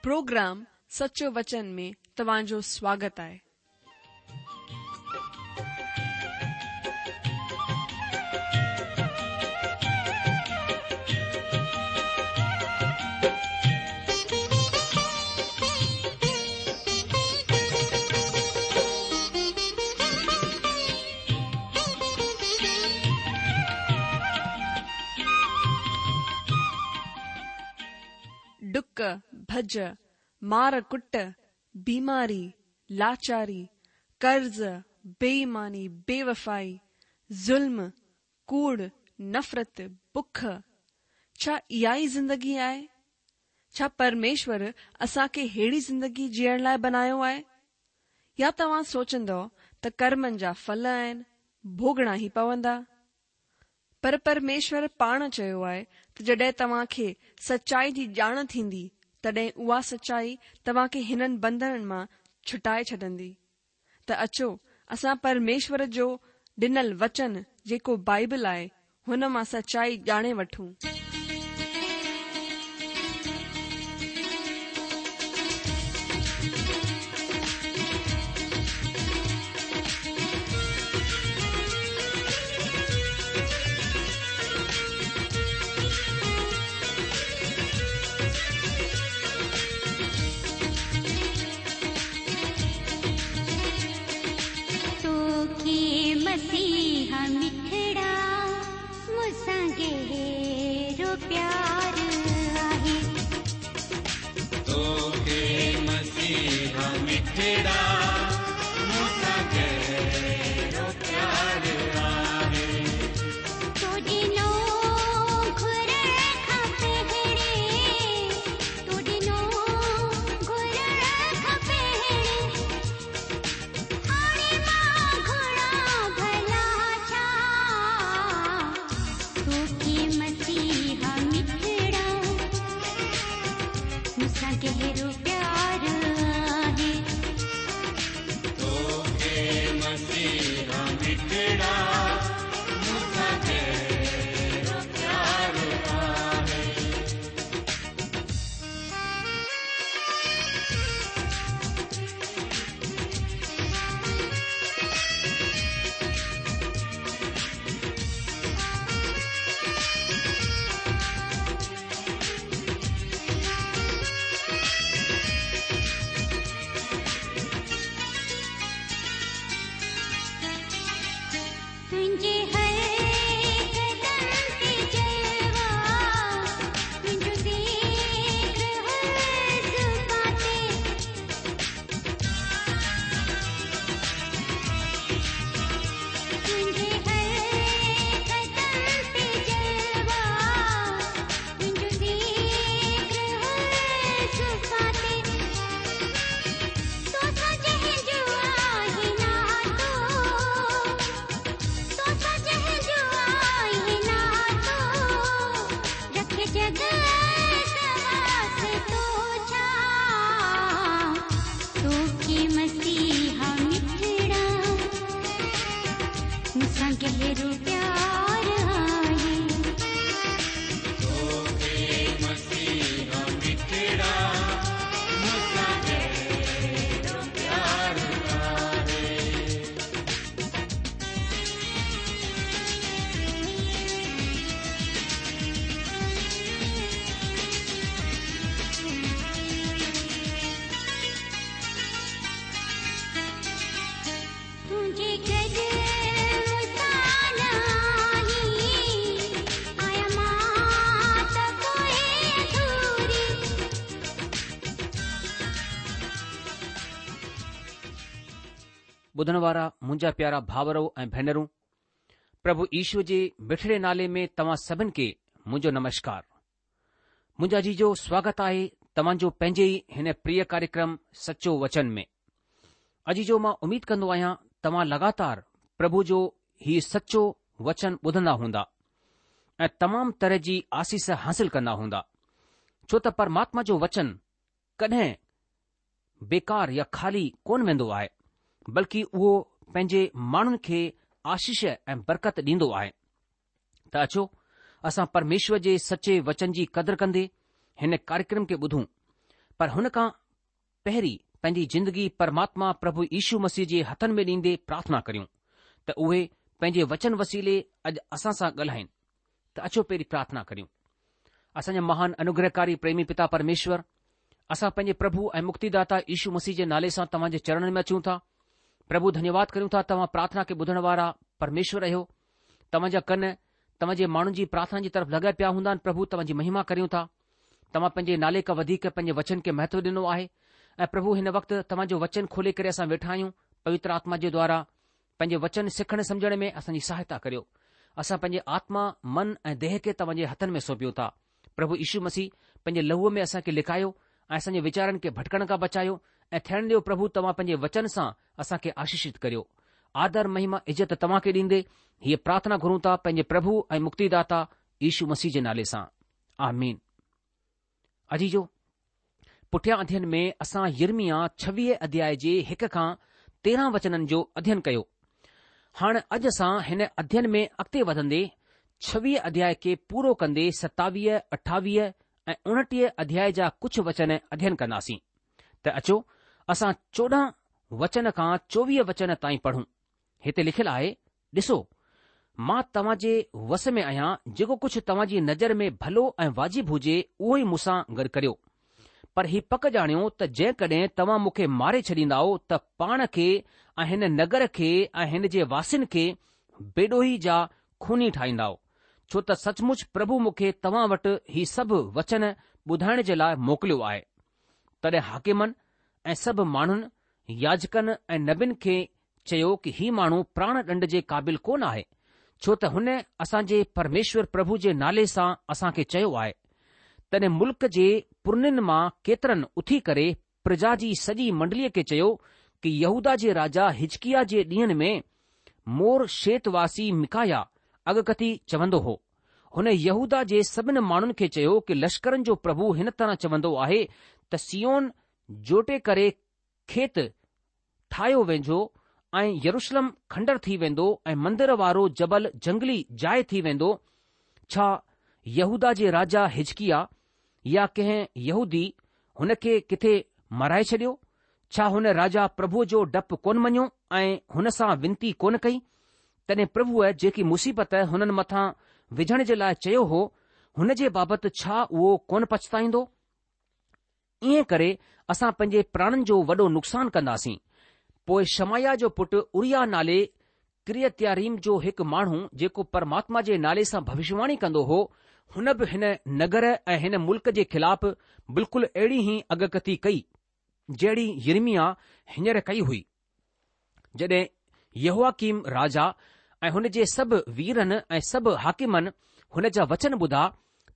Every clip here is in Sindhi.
پروگرام سچو وچن ۾ توهان جو سواگت آهي. ڊڪ، ڀڄ، مار ڪٽ، بيماري، لاچاري، قرض، بي ايماني، بي وفائي، ظلم، ڪوڙ، نفرت، بک، ڇا اها ئي زندگي آهي؟ ڇا پرميشور اسان کي ههڙي زندگي جيئڻ لاء بنايو آهي؟ يا توهان سوچندؤ ته ڪرمن جا ڦل آهن، ڀوڳڻا ئي پوندا؟ پر پرميشور پاڻ چيو آهي ته جڏهن توهان کي سچائي جي ڄاڻ ٿيندي، تڏهن اها سچائي توهان کي هنن بنڌنن مان ڇٽائي ڇڏندي. ته اچو اسان پرميشور جو ڏنل وچن جيڪو بائيبل آهي، هن مان سچائي ڄاڻي وٺون. توکي مسيحا مٺڙا مون سان گهرو پيار آهي. توکي مسيحا مٺڙا مون سان گهرو پيار آهي. تو ڏنو گهرڻ کان پهرين تو ڏنو گهرڻ کان پهرين هاڻي مان گهران ڀلا ڇا توکي مسيحا مٺڙا مون سان گهرو پيار آهي. توکي مسيحا مٺڙا مون سان گهرو پيار آهي. تنهنجي هر قدم تي جلوا تنهنجو ذڪر هر زبان تي. تنهنجي هر قدم تي جلوا تنهنجو ذڪر هر زبان تي. توسان جنهن جو آهي ناتو توسان جنهن جو آهي ناتو رکي جڳ واسطو ڇا توکي مسيحا مٺڙا مون سان گهرو پيار آهي. توکي مسيحا مٺڙا مون سان گهرو پيار آهي. تنهنجي گڏ مون سان آهين آهيان مان ته پوء اڌوري. ٻڌڻ وارا منهنجا پيارا ڀاورو ۽ ڀينرون، پرڀو يشو جي مٺڙي نالي ۾ توهان سڀن کي منهنجو نمشڪار. منهنجا عزيزو سواگت آهي توهان جو پنهنجي ئي هن پريه ڪاريڪرم سچو وچن ۾. عزيزو مان اميد ڪندو آهيان توهان لڳاتار پرڀو جو هي سچو وچن ٻڌندا هوندا ۽ تمام طرح جي آسيس حاصل ڪندا هوندا ڇو ته پرماتما جو وچن ڪڏهن بيڪار يا خالي ڪونه ويندو آهي بلڪه اهو پنهنجي ماڻهن کي آشيش ۽ برڪت ڏيندو آهي. ته اچو اسان پرميشور جي سچي وچن جي قدر ڪندي هن ڪاريڪرم کي ٻڌون. پر هن کان پهرين پنهنجي زندگي پرماتما پرڀو يشو مسيح جي هٿن ۾ ڏيندي پرارٿنا ڪريون ته اهي پنهنجي وچن وسيلي اڄ اسان سان ڳالهائين ته اچو پهرين پرارٿنا ڪريون. اسان جا مهان انوگرهڪاري پريمي پتا پرميشور، اسان پنهنجي پرڀو ۽ مڪتيداتا يشو مسيح جي نالي سان توهان جي چرڻن ۾ اچون ٿا. پرڀو ڌنيواد ڪريون ٿا توهان پرارٿنا کي ٻڌڻ وارا پرميشور آهيو. توهان جا ڪن توهان جي ماڻهن جي پرارٿنا جي طرف لڳا پيا هوندا آهن پرڀو توهان جي مهما ڪريون ٿا. توهان پنهنجي نالي کان وڌيڪ پنهنجي وچن کي مهتو ڏنو آهي ۽ پرڀو هن وقت توهان جو وچن کولي ڪري اسان ويٺا آهيون پوتر آتما جي دوارا پنهنجي وچن سکڻ سمجهڻ ۾ اسان جي سهائتا ڪريو. اسان پنهنجي آتما، من ۽ ديهه کي توهان جي هٿن ۾ سونپيون ٿا. پرڀو يشو مسيح پنهنجي لهوء ۾ اسان کي لڪايو ۽ اسان جي ويچارن کي ڀٽڪڻ کان بچايو ۽ ٿيڻ ڏيو پرڀو توهان پنهنجي وچن سان اسان کي آشيشت ڪريو. آدر، مهما، عزت توهان کي ڏيندي هيء پرارٿنا گهرون ٿا پنهنجي پرڀو ۽ مڪتيداتا يشو مسيح جي نالي سان. آمين. عزيزو! پٺيان اڌين ۾ اسان يرمياه 26 اڌياء جي هڪ کان 13 وچنن جو اڌين ڪيو. هاڻ اڄ اسان هن اڌين ۾ اڳتي وڌندي 26 اڌياء کي پورو ڪندي 27، 28 ۽ 29 اڌياء جا ڪجهه وچن اڌين ڪنداسين. ته اچو اسان 14 وچن کان 24 وچن تائين پڙهون. هتي لکيل آهي، ڏسو، مان توهان جي وس ۾ آهيان، جيڪو ڪجهه توهان جي نظر ۾ ڀلو ۽ واجب هجي، اهو ئي مون سان گڏ ڪريو. پر هي پڪ ڄاڻيو ته جيڪڏهن توهان مون کي ماري ڇڏيندائو ته پاڻ کي ۽ هن نگر کي ۽ هن جي واسين کي بيڏوهي جا خوني ٺاهيندائو، ڇو ته سچ مچ پرڀو مون کي توهان وٽ هي سڀ وچن ٻڌائڻ جي لاء موڪليو آهي. تڏهن حاڪمن ۽ سڀ ماڻهن، ياجڪن ۽ نبين کي چيو ڪه هي ماڻهو پراڻ ڏنڊ جي قابل ڪونه آهي، ڇو ته هن اسان جي پرميشور پرڀو جي نالي سان اسان کي چيو آهي. تڏهن ملڪ جي پرنين مان ڪيترن اٿي ڪري پرجا جي سڄي منڊليء کي چيو ڪه يهوداه جي راجا حزقياه جي ڏينهن ۾ مورشيت واسي ميڪاياه اڳڪٿي چوندو هو. هن يهوداه جي سڀن ماڻهن کي چيو ڪه لشڪرن جو پرڀو هن طرح چوندو آهي ته صيون جوٽي ڪري کيت ٺاهيو ويندو ۽ يروشلم کنڊر ٿي ويندو ۽ مندر وارو جبل جهنگلي جاء ٿي ويندو، ڇا يهوداه جي راجا حزقياه يا ڪنهن يهودي هن کي ڪٿي مارائي ڇڏيو؟ ڇا هن راجا پرڀوء جو ڊپ ڪونه مڃيو ۽ هن سان ونتي ڪونه ڪئي؟ تڏهن پرڀوء جيڪي مصيبت هنن مٿان وجهڻ جي لاء چيو هو، هن جي بابت ڇا اهو ڪونه پڇتائيندو؟ ائين ڪري اسان پنهنجي پراڻن جو وڏو نقصان ڪنداسين. پوء شمعياه جو پٽ اورياه نالي قريتياريم جو هڪ ماڻهو جيڪو پرماتما جي نالي سان ڀوشواڻي ڪندو هو، هن به هن نگر ۽ هن ملڪ جي خلاف بلڪل اهڙي ئي اڳڪٿي ڪئي، جهڙي يرمياه هينئر ڪئي هئي. جڏهن يهوياڪيم راجا ۽ هن جي سڀ ويرن ۽ سڀ حاڪمن هن جا وچن ٻڌا،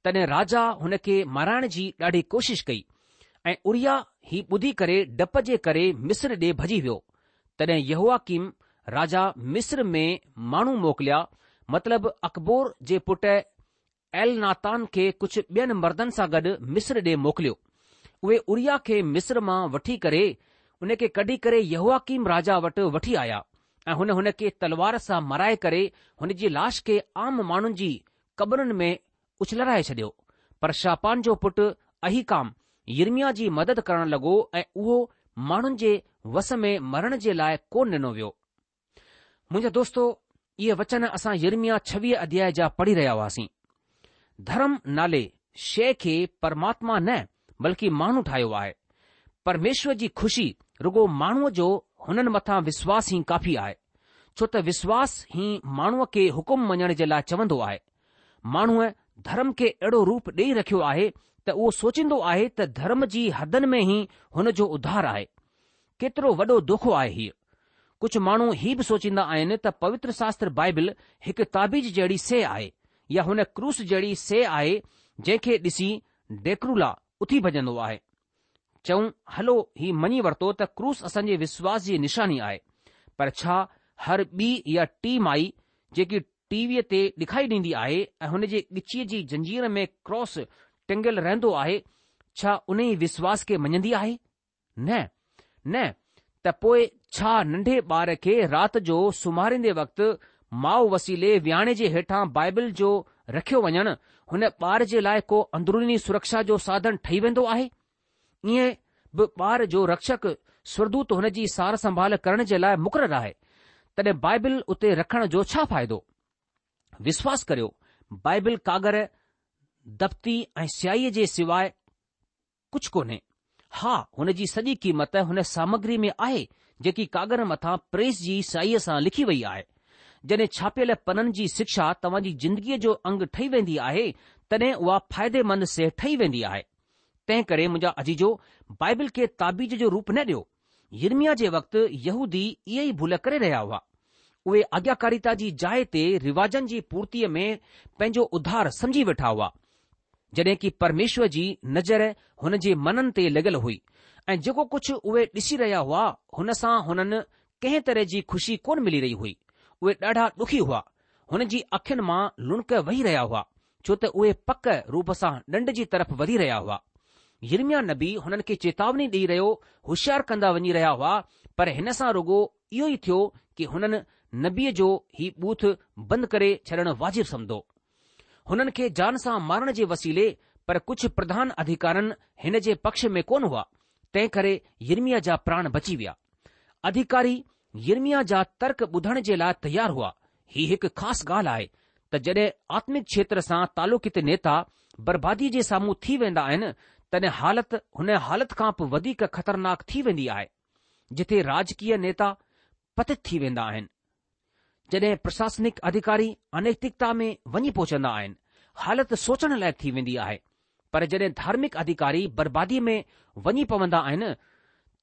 تڏهن راجا هن کي مارائڻ جي ڏاڍي ڪوشش ڪئي ۽ اورياه هي ٻڌي ڪري ڊپ جي ڪري مصر ڏي ڀڄي ويو. تڏهن يهوياڪيم راجا مصر ۾ ماڻهو موڪليا، مطلب عڪبور جي پٽ ايلناتان کي ڪجهه ٻين مردن سان گڏ مصر ڏي موڪليو. اهي اورياه کي مصر مان وٺي ڪري ان کي ڪڍي ڪري يهوياڪيم راجا وٽ وٺي آيا ۽ هن هن کي تلوار سان مارائي ڪري هن جي لاش کي عام ماڻهن جي قبرن ۾ اڇلرائي ڇڏيو. پر شاپان جو پٽ احيقام يرمياه جي مدد ڪرڻ لڳو ۽ اهو ماڻهن جي وس ۾ مرڻ جي لاء ڪونه ڏنو ويو. منهنجا دوستو، اهي وچن اسان يرمياه 26 اڌياء جا پڙهي رهيا هئاسين. ڌرم نالي شيء کي پرماتما نه بلڪه ماڻهو ٺاهيو آهي. پرميشور جي خوشي رڳو ماڻهوء جو هنن مٿان وشواس ئي ڪافي آهي. ڇو ته وشواس ئي ماڻهوء کي حڪم مڃڻ جي لاء چوندو آهي. ماڻهوء ڌرم کي اهڙو روپ ڏيئي رکيو آهي ته اهو سوچيندو آهي ته ڌرم جي حدن ۾ ئي هن جو اڌار آهي. ڪيترو وڏو دوکو آهي هيء. ڪجهه ماڻهو هي به سوچيندا آهن ته پوتر شاستر بائبل هڪ تعويذ جهڙي شيء آهي يا هن ڪروس جهڙي شيء آهي جنهن کي ڏسي ڊيڪرولا اٿي ڀڄندو آهي. چئون هلو هي مڃي ورتو ته ڪروس اسان جي وشواس جي نشاني آهي پر ڇا هر ٻي يا ٽي مائي جيڪي ٽي ويء تي ڏکائي ڏيندي آهي ۽ هن جي ڳچيء جي زنجير ۾ ڪراس ٽنگيل رهندو آهي ڇا انهي وشواس کي مڃندي آهي؟ نه، نه، ته پوء ڇا ننڍي ٻار کي رات جو سمهاريندي وقت ماء وسيلي وياڻي جي هيٺان بائبل جو رکيو وڃڻ هن ٻار جي لاء ڪو اندروني سرڪشا جو ساڌن ٺهي ويندو آهي؟ ائين به ٻار جو رڪشڪ سورگدوت هن جي سار سنڀال ڪرڻ جي لاء مقرر آهي، تڏهن بائبل اتي رکڻ جو ڇا فائدو؟ وشواس ڪريو، بائبل ڪاڳر، دفتي ۽ سياهيء جي سواء ڪجهه ڪونهي. ها، هن جي سڄي قيمت هن سامگريء ۾ آهي، جيڪي ڪاڳر مٿان پريس جي سياهيء سان لکي وئي آهي. جڏهن ڇاپيل پنن جي شڪشا توهان جي زندگيء جو انگ ٺهي ويندي آهي، تڏهن اها فائديمند شيء ٺهي ويندي آهي. تنهن ڪري منهنجا عزيزو، بائبل کي تعويذ جو روپ نه ڏيو. يرمياه جي وقت يهودي اها ئي ڀل ڪري رهيا هئا. اهي آگياڪاريتا جي جاء تي رواجن جي پورتيء ۾ پنهنجو اڌار سمجهي ويٺا هئا. جڏهن ڪي پرميشور جي نظر هن جي منن تي لڳل هئي ۽ جيڪو ڪجهه اهي ڏسي رهيا هئا هن سان هنن ڪنهن طرح جي خوشي ڪونه ملي رهي هئي. اهي ڏاڍا ڏکي هئا. هن جي اکين مان لڙڪ وهي رهيا هئا، ڇو ته اهي پڪ روپ سان ڏنڊ جي طرف وڌي رهيا هئا. يرمياه نبي هنن کي چيتاوني ڏيئي رهيو هوشيار ڪندا وڃي رهيا هئا، پر هن سان رڳو اهو ئي ٿيو ڪي هنن نبيء جو هي ٻوٿ بند ڪري ڇڏڻ واجب سمجهو. هنن کي جان سان مارڻ جي وسيلي، پر ڪجهه پرڌان اڌيڪارن هن جي پڪش ۾ ڪونه هئا، تنهن ڪري يرمياه جا پراڻ بچي ويا. اڌيڪاري يرمياه جا ترڪ ٻڌڻ جي لاء تيار هئا. هي هڪ خاص ڳالهه آهي ته جڏهن آتمڪ کيتر سان تعلقيت نيتا برباديء جي سامهون ٿي ويندا آهن، تڏهن حالت هن حالت کان به وڌيڪ خطرناڪ ٿي ويندي آهي، جٿي راجڪيه نيتا پتت ٿي ويندا آهن. جڏهن پرشاسنڪ اڌيڪاري انيتڪتا ۾ وڃي پهچندا آهن، حالت سوچڻ لائق ٿي ويندي آهي. پر جڏهن ڌارمڪ اڌيڪاري برباديء ۾ وڃي پوندا آهن،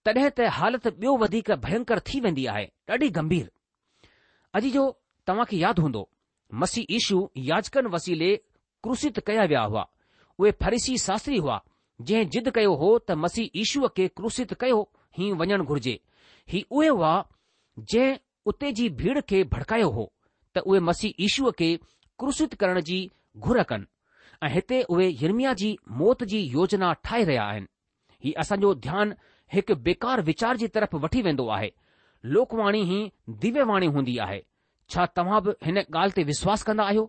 تڏهن ته حالت ٻيو وڌيڪ ڀينڪر ٿي ويندي آهي، ڏاڍي گنڀير. عزيزو، توهان کي ياد هوندو، مسيح يشو ياجڪن وسيلي ڪروسيت ڪيا ويا هئا. اهي فريسي شاستري هئا، جنهن ضد ڪيو هو ته مسيح يشوء کي ڪروسيت ڪيو ئي وڃڻ گهرجي. هي اهي هئا، جنهن اتي جي ڀيڙ کي ڀڙڪايو هو ته اهي مسيح يشوء کي ڪروسيت ڪرڻ جي گهر ڪن ۽ هتي اهي يرمياه جي موت جي يوجنا ٺاهي رهيا آهن. هي اسان جو ڌيان هڪ بيڪار ويچار جي طرف وٺي ويندو آهي. لوڪواڻي ئي ديويه واڻي هوندي آهي. ڇا توهان به هن ڳالهه تي وشواس ڪندا آهيو؟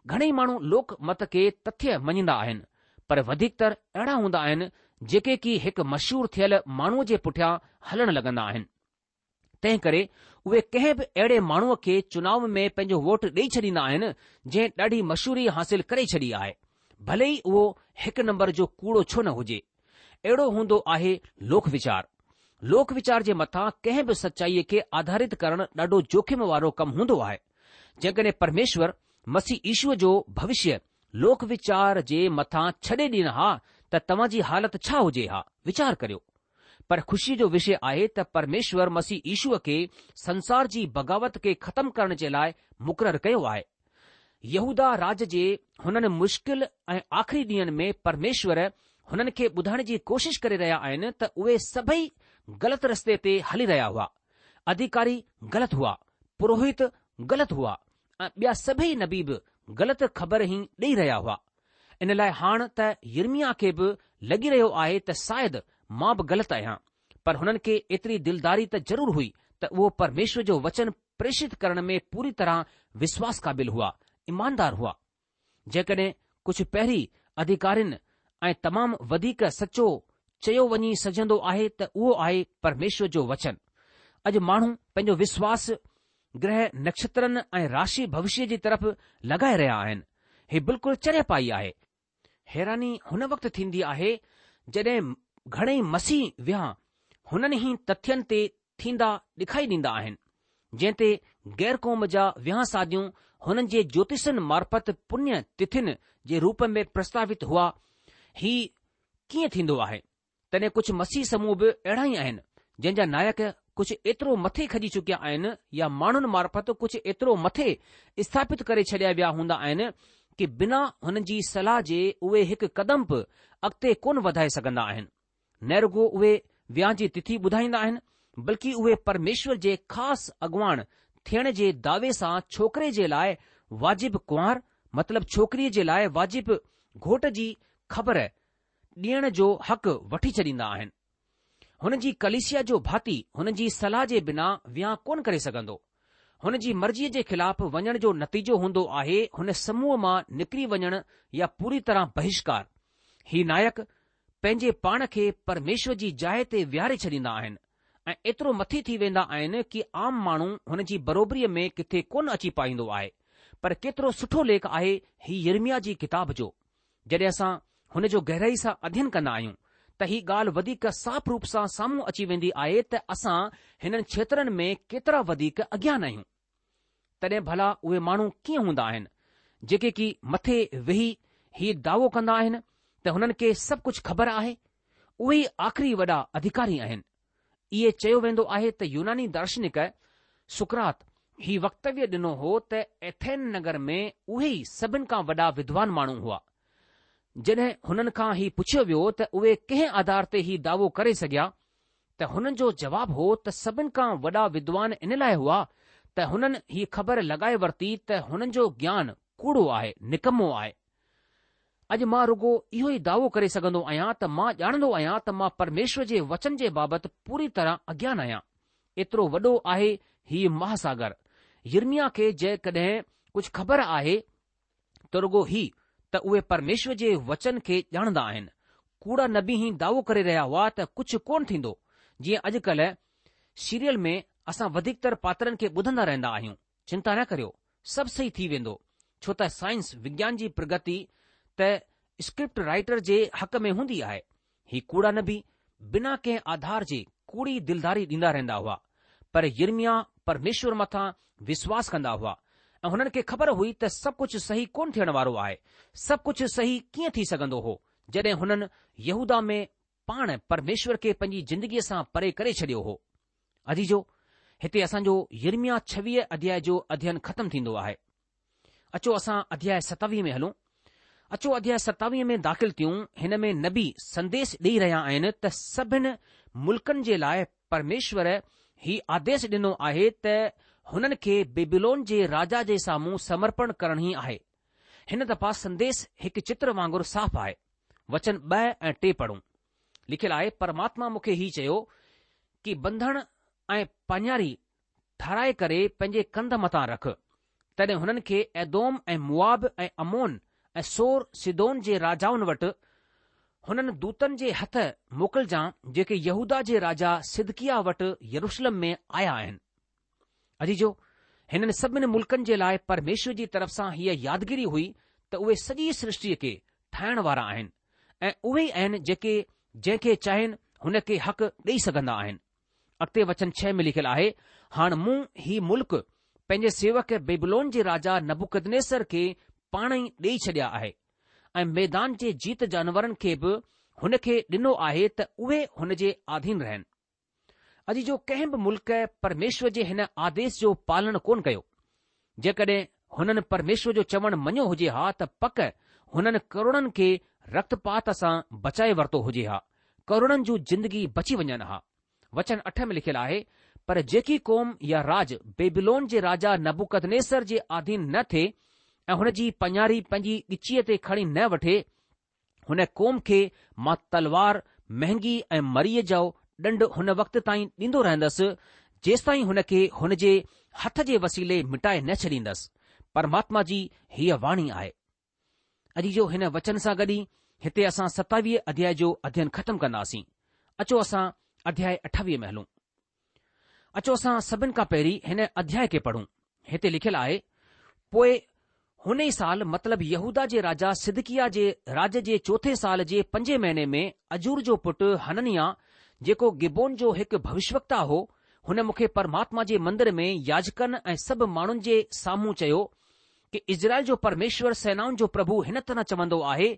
گهڻيئي ماڻهو لوڪ مت کي تٿيه مڃيندا آهن، پر وڌيڪتر اهڙا هوندا آهن جيڪي ڪي هڪ مشهور ٿيل ماڻهوء جي پٺيان هلڻ لڳندا آهن. تنهن ڪري اهي ڪنهن به اهڙي ماڻهوء کي چناء ۾ پنهنجو ووٽ ڏئي ڇڏيندا آهن، جنهن ڏاڍي مشهوري حاصل ڪري ڇڏي آهي، ڀلي ئي اهو هڪ نمبر جو ڪوڙو ڇو نه هجي. اهڙو هوندو آهي لوڪ ويچار. لوڪ ويچار جي مٿان ڪنهن به سچائيء کي آڌارت ڪرڻ ڏاڍو جوکم وارو ڪم هوندو آهي. جيڪڏهن پرميشور مسيح يشوء جو ڀوشيه لوڪ ويچار جي مٿان ڇڏي ڏين ها ته توهان جي حالت ڇا هجي ها؟ ويچار ڪريو. پر خوشيء جو وشي آهي ته پرميشور مسيح يشوء کي سنسار جي بغاوت کي ختم ڪرڻ جي لاء مقرر ڪيو آهي. يهوداه راج جي هنن مشڪل ۽ آخري ڏينهن ۾ پرميشور هنن کي ٻڌائڻ جي ڪوشش ڪري رهيا آهن ته اهي سڀئي غلط رستي تي هلي رهيا هئا. اڌيڪاري غلط هئا، پروهت غلط هئا ۽ ٻيا سڀئي نبي به غلط خبر ئي ڏئي رهيا هئا. ان لاء هاڻ ته يرمياه کي به لڳي رهيو آهي ته شايد مان به غلط آهيان، پر هنن کي ايتري دلداري ته ضرور هئي ته اهو پرميشور جو وچن پريشت ڪرڻ ۾ پوري طرح وشواس قابل هئا، ايماندار هئا. جيڪڏهن ڪجهه پهرين اڌيڪارين ۽ تمام وڌيڪ سچو چيو وڃي سگهجندو آهي ته اهو آهي پرميشور جو وچن. اڄ ماڻهو پنهنجو وشواس گرهه نڪشترن ۽ راشي ڀوشيه جي طرف لڳائي رهيا آهن. هي بلڪل چريپائي آهي. حيراني هن وقت ٿيندي آهي جڏهن گهڻئي مسيح وهانء هنن ئي تٿين تي ٿيندا ڏکائي ڏيندا آهن، جنهن تي غير قوم جا وهانء شاديون هنن جي جوتشن معرفت پڃ تٿين جي روپ ۾ پرستاوت هئا. هي ڪيئن ٿيندو آهي؟ تڏهن ڪجهه مسيح سموهه به اهڙا ئي آهن، جنهن جا نائڪ ڪجهه ايترو مٿي کڄي چڪيا آهن يا ماڻهن معرفت ڪجهه ايترو مٿي اسٿاپت ڪري ڇڏيا ويا هوندا آهن ڪي بنا هنن جي صلاح جي اهي هڪ قدم به اڳتي ڪونه وڌائي سگهندا آهن. نه رڳو اهي ويانهه جي تٿي ٻڌائيندا آهن، بلڪه اهي پرميشور جي خاص اڳواڻ ٿيڻ جي دعوي سان ڇوڪري جي لاء واجب ڪنوار مطلب ڇوڪريء جي لاء واجب گهوٽ جي خبر ڏيڻ جو حق وٺي ڇڏيندا آهن. هن جي ڪليسيا جو ڀاتي هن جي صلاح جي بنا ويانهه ڪونه ڪري سگهندو. هن جي مرضيء جي خلاف وڃڻ جو نتيجو هوندو آهي هن سموهه مان نڪري وڃڻ يا پوري طرح بهشڪار. هي نائڪ. پنهنجي پاڻ کي پرميشور جي جاء تي ويهاري ڇڏيندا آهن ۽ ايترو مٿي ٿي ويندا آهن ڪي عام ماڻهو هن جي بروبريء ۾ ڪٿي ڪونه اچي پائيندو آهي. پر ڪيترو سٺو ليک آهي هي يرمياه جي ڪتاب جو. جڏهن اسان هن جو گهرائي سان اڌين ڪندا آهيون ته هي ڳالهه وڌيڪ صاف روپ سان سامهون اچي ويندي آهي ته اسان هنن کيترن ۾ ڪيترا وڌيڪ اگيان آهيون. تڏهن ڀلا اهي ماڻهو ڪيئن هوندا آهن، جيڪي ڪي مٿي ويهي هي دعوو ڪندا آهن ته هنن کي سڀ ڪجهه خبر آهي؟ اهي ئي آخري وڏا اڌڪاري آهن. اهي چيو ويندو آهي ته يوناني دارشنڪ سقراط هي وڪتويه ڏنو هو ته ايٿين نگر ۾ اهي ئي سڀن کان وڏا ودوان ماڻهو هئا. جڏهن هنن کان هي پڇيو ويو ته اهي ڪنهن آڌار تي هي دعوو ڪري سگهيا ته هنن جو جواب هو ته سڀن کان وڏا ودوان ان لاء هئا ته هنن هي خبر لڳائي ورتي ته هنن جو گيان ڪوڙو آهي، نڪمو آهي. اڄ مان رڳو اهو ئي دعوو ڪري سگهندو آهيان ته مان ڄاڻندو آهيان ته مان پرميشور جي وچن جي بابت پوري طرح اگيان آهيان. ايترو وڏو آهي هيء مهاساگر. يرمياه کي جيڪڏهن ڪجهه خبر آهي ته رڳو هي ته اهي پرميشور جي وچن کي ڄاڻندا آهن. ڪوڙا نبي هي دعوو ڪري رهيا هئا ته ڪجهه ڪونه ٿيندو، جيئن اڄڪلهه سيريل ۾ اسان وڌيڪتر پاترن کي ٻڌندا رهندا آهيون، چنتا نه ڪريو، سڀ صحيح ٿي ويندو، ڇو ته سائنس، وگيان جي پرگتي ته اسڪرپٽ رائيٽر جي حق ۾ هوندي آهي. هي ڪوڙا نبي بنا ڪنهن آڌار جي ڪوڙي دلداري ڏيندا رهندا هئا، پر يرمياه پرميشور مٿان وشواس ڪندا هئا ۽ هنن کي خبر هئي ته سڀ ڪجهه صحيح ڪونه ٿيڻ وارو آهي. سڀ ڪجهه صحيح ڪيئن ٿي سگهندو هو جڏهن هنن يهوداه ۾ پاڻ پرميشور کي پنهنجي زندگيء سان پري ڪري ڇڏيو هو. عزيزو، هتي اسان جو يرمياه 26 اڌياء جو اڌين ختم ٿيندو آهي. اچو اسان اڌياء 27 ۾ هلون. اچو اڌياء 27 ۾ داخل ٿيون. هن ۾ نبي سنديش ڏيئي رهيا آهن ته سڀن ملڪن جي لاء پرميشور هي آديش ڏنو آهي ته هنن کي بيبيلون جي راجا جي سامهون سمرپڻ ڪرڻ ئي آهي. هن دفعا سنديش هڪ چتر وانگر صاف آهي. وچن 2 ۽ 3 پڙهون. لکيل آهي، پرماتما مون کي هي چيو ڪي ٻنڌڻ ۽ پاڃاري ٺهرائي ڪري پنهنجي ڪنڌ مٿان رک. تڏهن هنن کي ايدوم ۽ موآب ۽ عمون ۽ سور سيدون جي راجائن وٽ هنن دوتن جي هٿ موڪلجان جيڪي يهوداه جي راجا صدقياه وٽ يروشلم ۾ آيا آهن. عزيزو! هنن سڀن ملڪن جي لاء پرميشور جي طرف سان هيء يادگيري هئي ته اهي سڄي سرشٽيء کي ٺاهڻ وارا آهن ۽ اهي ئي آهن جيڪي جنهن کي چاهين هن کي حق ڏيئي سگهندا آهن. اڳتي وچن ڇهه ۾ لکيل آهي، هاڻ مون هي ملڪ پنهنجي سيوڪ بيبلون جي راجا نبوڪدنيسر کي پاڻ ئي ڏيئي ڇڏيا آهي ۽ ميدان جي جيت جانورن کي به هن کي ڏنو آهي ته اهي هن جي آڌين رهن. عزيزو ڪنهن به ملڪ پرميشور جي هن آديش جو پالڻ ڪونه ڪيو. جيڪڏهن هنن پرميشور جو چوڻ مڃيو هجي ها ته پڪ هنن ڪروڙن کي رڪتپات سان بچائي ورتو هجي ها، ڪروڙن جون زندگي بچي وڃن ها. وچن اٺ ۾ لکيل آهي، پر جيڪي قوم يا راڄ بيبيلون جي راجا نبوڪدنيسر جي آڌين نه ٿئي ۽ هن جي پاڃاري پنهنجي ڳچيء تي کڻي نه وٺي، هن قوم کي مان تلوار، مهنگي ۽ مريء جو ڏنڊ هن وقت تائين ڏيندو رهندس، جيستائين هن کي هن جي هٿ جي وسيلي مٽائي نه ڇڏيندس. پرماتما جي هيء واڻي آهي. عزيزو هن وچن سان گڏ ئي هتي اسان ستاويهه اڌياء جو اڌين ختم ڪنداسين. اچو اسان اڌياء اٺاويهه ۾ هلون. اچو اسان سڀن کان پهرين هن اڌياء کي پڙهون. هتي لکيل آهي، پوء هن ئي سال مطلب يهوداه جي راجا صدقياه جي راڄ جي چوٿين سال جي پنجين مهيني ۾ عزور جو پٽ حننياه جيڪو گبعون جو هڪ ڀوشوڪتا هو، هن مون کي پرماتما جي مندر ۾ ياجڪن ۽ سڀ ماڻهن جي سامهون چيو ڪي اسرائيل جو پرميشور سينائن جو پرڀو هن طرح چوندو آهي،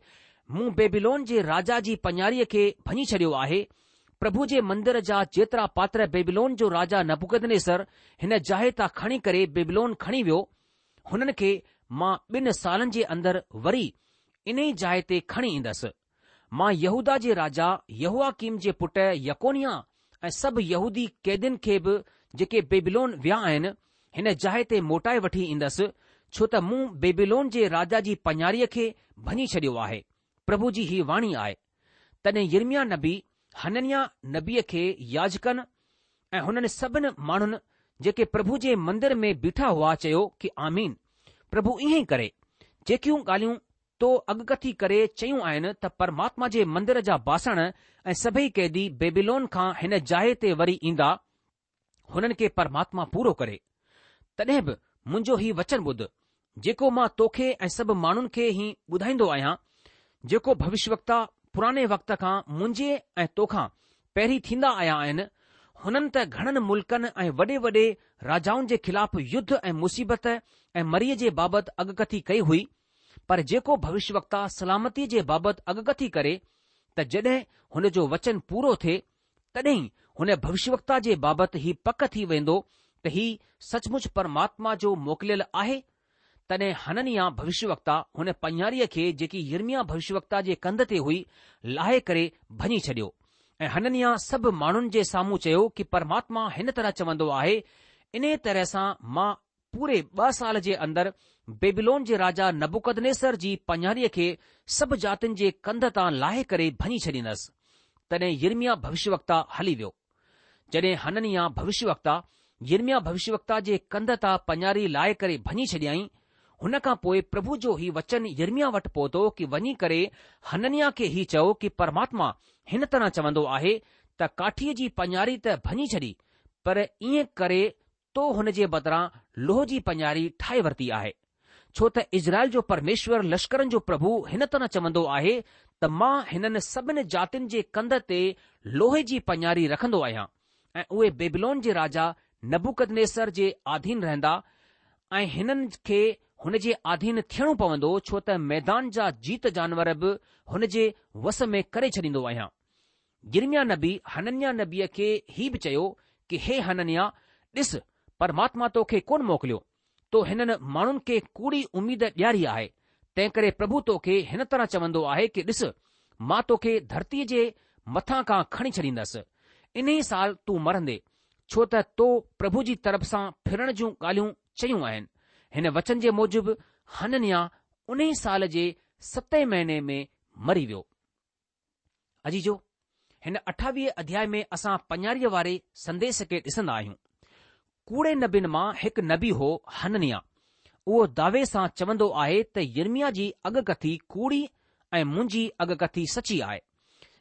مون بيبيلون جي راجا جي پڃاريء کي ڀڃي ڇڏيو آهي. پرڀو جي مندر جا جيترا پاتر بيبيلون جو راجا نبوڪدنيسر هن جاء تان کڻي ڪري بيبيلون کڻي ويو، هنن کي مان ٻن سالن جي اندر وري انهي جاء تي کڻي ايندس. مان يهوداه جي راجا يهوياڪيم جي پٽ يڪونياه ۽ سڀ يهودي قيدين کي به جيڪي بيبيلون ويا آهن، هن جاء تي موٽائي وٺي ايندس، ڇو ته مون بيبيلون جي راجا جي پڃاريء کي ڀڃي ڇڏيو آهي. پرڀو جي هي واڻي آهي. تڏهن يرمياه نبي حننياه نبيء کي ياجڪن ۽ هنن سڀن ماڻهن جيڪي پرڀو جي مندر ۾ بيٺا هئا چيو ڪي آمين، پرڀو ائين ئي ڪري، جيڪيون ڳالهيون. تو اڳڪٿي ڪري چيون آهن ته پرماتما جي مندر جا باسڻ ۽ سڀئي قيدي بيبيلون کان هن جاء تي وري ايندا، هنن کي پرماتما پورو ڪري. تڏهن به منهنجو هي وچن ٻڌ، جيڪو مان توکي ۽ سڀ ماڻهن کي هي ٻڌائيندو آهيان، جيڪو ڀوشيوڪتا پراڻي وقت کان منهنجي ۽ توکان پهرين ٿيندا آيا آهن، هنن ته گهڻن ملڪن ۽ وڏي وڏي راجائن جي خلاف يڌ ۽ مصيبت ۽ مريء جي بابت اڳڪٿي ڪئي هئي، پر جيڪو ڀوشيوڪتا سلامتيء جي بابت اڳڪٿي ڪري ته جڏهن هن جو وچن پورو ٿئي، تڏهن هن ڀوشيوڪتا جي بابت هي پڪ ٿي ويندو ته هي سچ مچ پرماتما جو موڪليل آهي. تڏهن حننياه ڀوشيوڪتا هن پڃاريء کي جيڪي يرمياه ڀوشيوڪتا جي ڪنڌ تي هئي، لاهي ڪري ڀڃي ڇڏيو. ۽ حننياه سڀ ماڻهن جي سامهون چيو ڪي پرماتما هن طرح چوندو آهي، انهيء طرح سان مان پوري ٻه سال جي اندر بيبيلون جي راجا نبوڪدنيسر جي پڃاريء کي سڀ جاتين جي ڪنڌ تان لاهي ڪري ڀڃي ڇڏيندس. تڏهن يرمياه ڀوشيوڪتا هلي ويو. جڏهن حننياه ڀوشيوڪتا يرمياه ڀوشيوڪتا جي ڪنڌ تان پڃاري لاهي ڪري ڀڃي ڇڏيائين، هن کان پوء پرڀو جو هي وچن يرمياه وٽ پهتو ڪي وڃي ڪري حننياه کي هي چئو ڪي پرماتما هن طرح چوندو آهي ته ڪاٺيء جي پڃاري ته ڀڃي ڇڏي پر ائين ڪري تو هن جي بدران لوهه جي پڃاري ٺاهي ورتي آهي. ڇو ته اسرائيل جو پرميشور لشڪرن جو پرڀو هن طرح چوندو آهي ته مان هنن سڀن جاتين جي ڪنڌ تي لوهي جي پڃاري رکندو آهيان ۽ اهي بيبلون جي راجا نبوڪدنيسر جي آڌين رهندا ۽ هنن کي هن جي آڌين ٿيڻو پوندو ڇو ته ميدان جا جيت جانور به هن جي وس ۾ ڪري ڇڏيندو آهيان. يرمياه نبي حننياه نبيء کي هي به چيو ڪي هي حننياه، ڏس، پرماتما تو کي ڪونه موڪليو، تو هنن ماڻهن کي ڪوڙي اميد ڏياري آهي، تنهنڪري پرڀو تو کي هن طرح چوندو آهي ڪي ڏس، مان تو کي ڌرتيء جي مٿان کان کڻي ڇڏيندس، انهيء سال تون مرندي، ڇو ته تو پرڀو جي طرف سان ڦرڻ جون ڳالهيون چيون آهن. هن وچن جي موجب حننياه انهيء سال جي ستين مهيني ۾ مري ويو. عزيزو! هن 28 اڌياء ۾ اسان پڃاريء واري سنديس کي ڏسندا آهيون. ڪوڙي نبين مان هڪ نبي هو حننياه. اهو دعوي سان چوندو آهي ته يرمياه جي اڳڪٿي ڪوڙي ۽ منهنجي اڳڪٿي سچي آهي.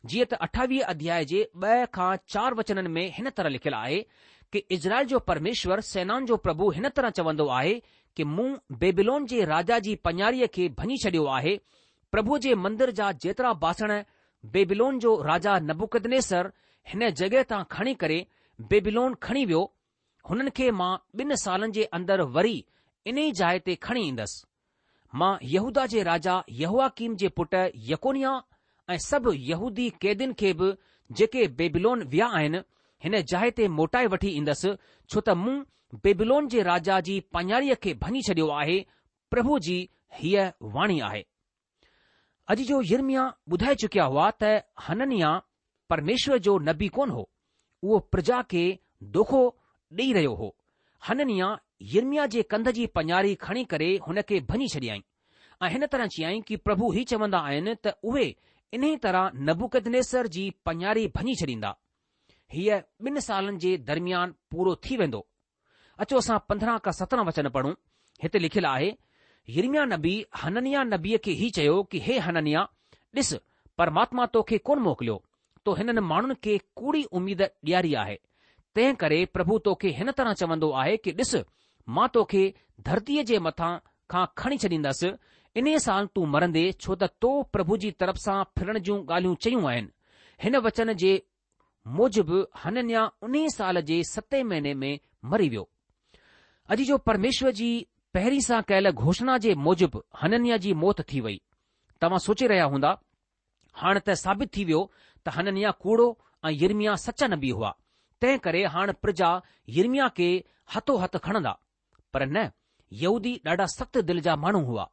جيئن ته 28 اڌياء جي ٻه کان چار وچنن ۾ هن طرح لکيل آهي ڪي اسرائيل جو پرميشور سينائن جو پرڀو هن طرح چوندو آهي ڪي مون بيبيلون جي راجا جي پڃاريء کي ڀڃي ڇڏيو آهي پرڀوء جي مندر جا جيترا باسڻ بيبيلون جو راجا نبوڪدنيسر هن جڳهه تان کڻي ڪري بيبيلون کڻي ويو، هنن کي مان ٻن سالن جي اندر وري انهي جاء تي کڻي ايندس. مان يهوداه جي راجا يهوياڪيم جي پٽ يڪونياه ۽ سڀ يهودي قيدين کي به جيڪي بيبيلون ويا آهن، هن جاء تي موٽائي وٺي ايندس، ڇو ته مون بيبيلون جي راجا جي پاڃاريء کي ڀڃي ڇڏيو آهي، پرڀو جي هيء واڻي آهي. عزيزو يرمياه ٻڌائي چڪيا هئا ته حننياه پرميشور جو نبي ڪونه هو، اهو پرجا کي دوکو ڏيئي رهيو هو. حننياه يرمياه جي ڪنڌ جي پڃاري کڻي ڪري هن کي ڀڃي ڇڏيائين ۽ هن طرح چيائين ڪي پرڀو هي چوندا آهن ته اهي انهي طرح نبوڪدنيسر جي پڃاري ڀڃي ڇڏيندا. هيء ٻن سالن جي درميان پورو ٿي ويندو. اچو اسان 15 کان 17 وچن پڙهون. هتي لکيل آهي، يرمياه نبي حننياه نبيء کي هي چيو ڪي هي حننياه، ڏس، پرماتما تو کي ڪونه موڪليو، تو هنن ماڻهن کي ڪوڙي اميد ڏياري آهي. تنهن ڪري پرڀو تو کي هن طرح چوندو آهي ڪي ڏس، مان تو کي ڌرتيء جي مٿان کان کڻي ڇڏيندس، انهيء سال تون مرندي، ڇو ته تو پرڀو جي طرف سان ڦرڻ جون ڳالهيون چيون آهن. هن وچن جي موجب حننياه انهيء سال جي ستين مهيني ۾ مري ويو. عزيزو پرميشور جي پهرين سان ڪيل گهوشڻا جي موجب حننياه جي موت ٿي وئي. توهان سوچي رهيا هوندا، هاڻ ته ثابت ٿي ويو ته حننياه ڪوڙو ۽ يرمياه سچا نبي هئا، تنهن ڪري هاڻ پرجا يرمياه کي هٿو هٿ کڻندا. پر نه، يهودي ڏاڍا سخت دل جا ماڻهو هئا.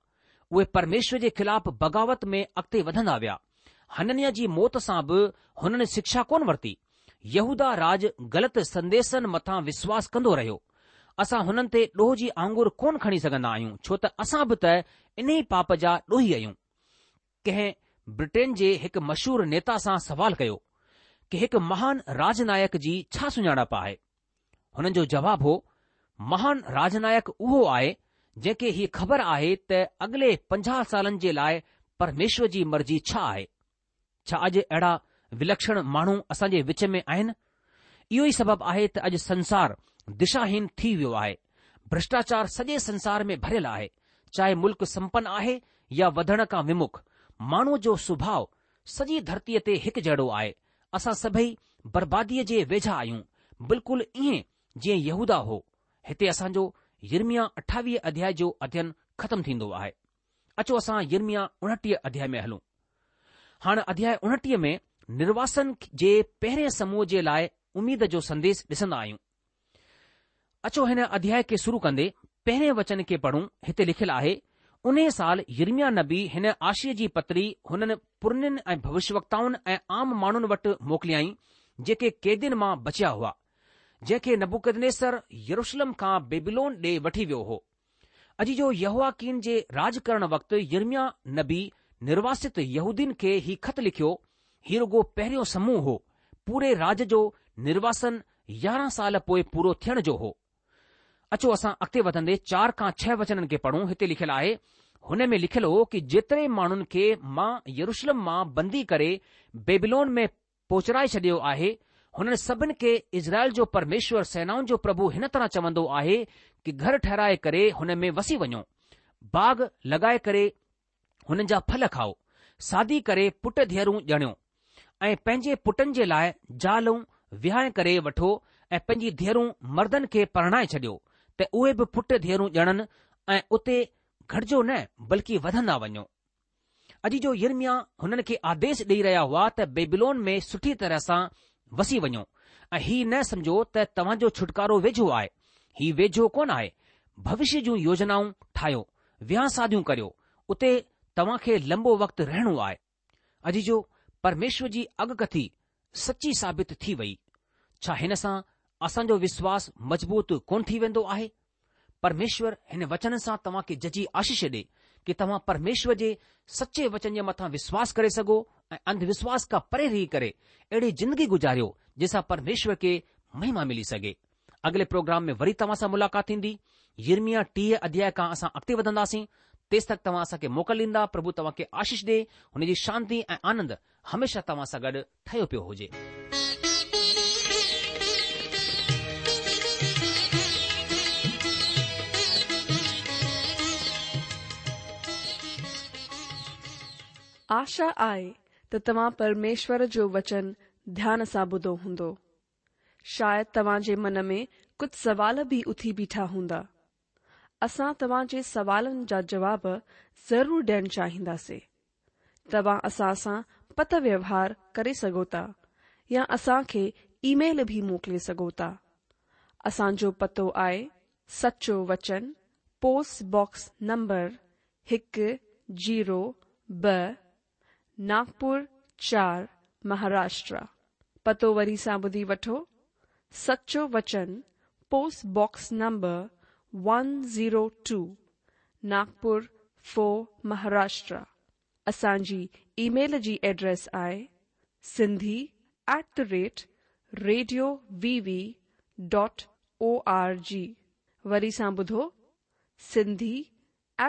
اهي پرميشور جي خلاف بغاوت ۾ اڳتي وڌندا ويا. حننياه جي موت سان به هنن شکشا ڪونه ورتي. يهوداه راڄ غلط سنديسن مٿان وشواس ڪندو رهيو. اسان هنن تي ڏوهه جي آڱر ڪونه کڻي سگهندا آهيون ڇو ته اسان به ته انهي پاپ جا ڏوهي آهيون. ڪنهن برٽين جي هڪ مشهور نيتا سان سوال ڪيو ڪي هڪ مهان راجنايڪ جي ڇا سڃاڻپ آهي؟ هنن جو جواب هو، مهان راجنايڪ اهو آهي، جنهن کي هي خبر آهي ته اڳلي 50 سالن جي لاء پرميشور جي مرضي ڇا آهي. ڇا اڄ اهڙا ولکشڻ ماڻهو اسان جي وچ ۾ آهن؟ اهو ئي سبب آهي ته اڄ سنسار دشاهين ٿي ويو آهي. ڀرشٽاچار سڄي سنسار ۾ ڀريل آهي. چاهي ملڪ سمپن آهي يا وڌڻ کان ومک، ماڻهوء جو سڀاء سڄي ڌرتيء تي هڪجهڙو آهي. اسان سڀئي برباديء جي ويجها آهيون، بلڪل ائين جيئن يهوداه هو. هتي اسان جو يرمياه 28 اڌياء جو اڌين ختم ٿيندو آهي. اچو اسان يرمياه 29 اڌياء ۾ هلون. هاڻ اڌياء 29 ۾ نرواسن جي پهرين سموهه جي لاء اميد جو سنديش ڏسندا آهيون. اچو هن اڌياء کي شروع ڪندي پهرين وچن کي پڙهون، هتي لکيل آهي، انهيء سال يرمياه نبي هن آشيء جي پتري هنن پرنين ۽ ڀوشيوڪتائن ۽ عام ماڻهن وٽ موڪليائين، جيڪي قيدين مان بچيا هئا، جنهن کي نبوڪدنيسر يروشلم کان بيبيلون ڏي وٺي ويو هو. عزيزو يهوياڪين جي راڄ ڪرڻ وقت يرمياه نبي نرواست يهودين کي هي خط لکيو، هي رڳو پهريون سموهه هو، پوري راڄ جو نرواسن 11 سال پوء پورو ٿيڻ جو هو. اچو اسان اڳتي وڌندي چار کان ڇهه وچنن کي پڙهون، هتي لکيل آهي، هن ۾ لکيل هو ڪي جيتري ماڻهن کي مان يروشلم مان بندي ڪري بيبيلون ۾ پهچرائي ڇڏيو آهي، هنن سڀن کي اسرائيل جو پرميشور سينائن جو پرڀو هن طرح چوندو آهي ڪي گهر ٺهرائي ڪري هن ۾ وسي وڃو، باغ لڳائي ڪري هنن جا ڦل کائو، شادي ڪري پٽ ڌيئرون ڄڻيو ۽ پنهنجي پٽن جي لاء زالون وهانء ڪري وٺو ۽ پنهنجي ڌيئرون مردن کي پرڻائي ڇڏيو ته اهي به پٽ ڌيئرون ڄڻن ۽ اتي گهٽجو نه بلڪه وڌندا وڃو. عزيزو يرمياه هنن کي آديش ڏيئي رهيا هئا ته بيبيلون ۾ سٺي طرح سان وسي وڃو ۽ هي نه سمجهو ته توهان جو ڇوٽڪارو ويجهو آهي. هي ويجهو ڪونه آهي. ڀوشيه جون يوجنائون ٺاهيو، وهانء شاديون ڪريو، اتي توهان کي لنبو وقت رهڻو آهي. عزيزو پرميشور جي اڳڪٿي سچي ثابت ٿي وئي. ڇا هن سان اسان جو وشواس مضبوط ڪونه ٿي ويندو آهي؟ پرميشور هن وچن سان توهان کي ججهي آشيش ڏي ڪي توهان پرميشور جي سچي وچن جي مٿان وشواس ڪري سگهو ۽ انڌ وشواس کان پري رهي ڪري اهڙي زندگي گذاريو جنهن سان پرميشور کي مهما ملي سگهي. اڳلي پروگرام ۾ وري توهان سان ملاقات ٿيندي. يرمياه 30 اڌياء کان اسان اڳتي وڌنداسين. تيستڪ توهان اسان کي موڪل ڏيندا. پرڀو توهان کي آشيش ڏي. هن جي شانتي ۽ آنند هميشه توهان سان گڏ ٺهيو پيو هجي. آشا آهي ته توهان پرميشور جو وچن ڌيان سان ٻڌو هوندو. شايد توهان جي من ۾ ڪجهه سوال به اٿي بيٺا هوندا. اسان توهان جي سوالن جا جواب ضرور ڏيڻ چاهينداسي. توهان اسان سان پتر ويوهار ڪري سگهو ٿا يا اسان کي اي ميل به موڪلي سگهو ٿا. اسان جو پتو آهي سچو وچن پوسٽ باڪس نمبر هڪ زيرو ٻه ناگپور چار مهاراشٽرا. پتو وري سان ٻڌي وٺو سچو وچن post box number one zero two Nagpur four Maharashtra اسان جي اي ميل جي ايڊريس آهي Sindhi at the rate radio V V dot O R G وري سان ٻڌو Sindhi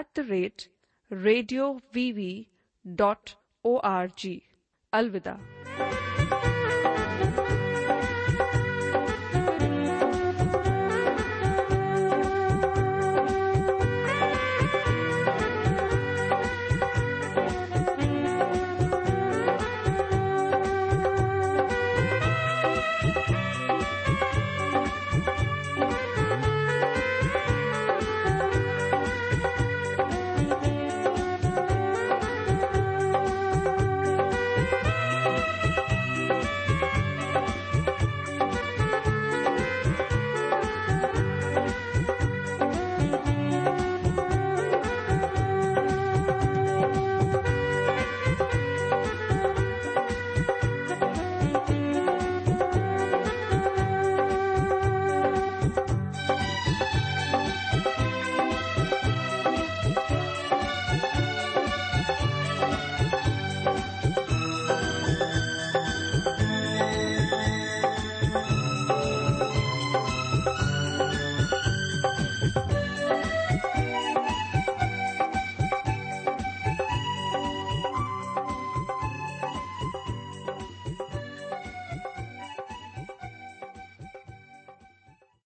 at the rate radio V V dot O R G الوداع.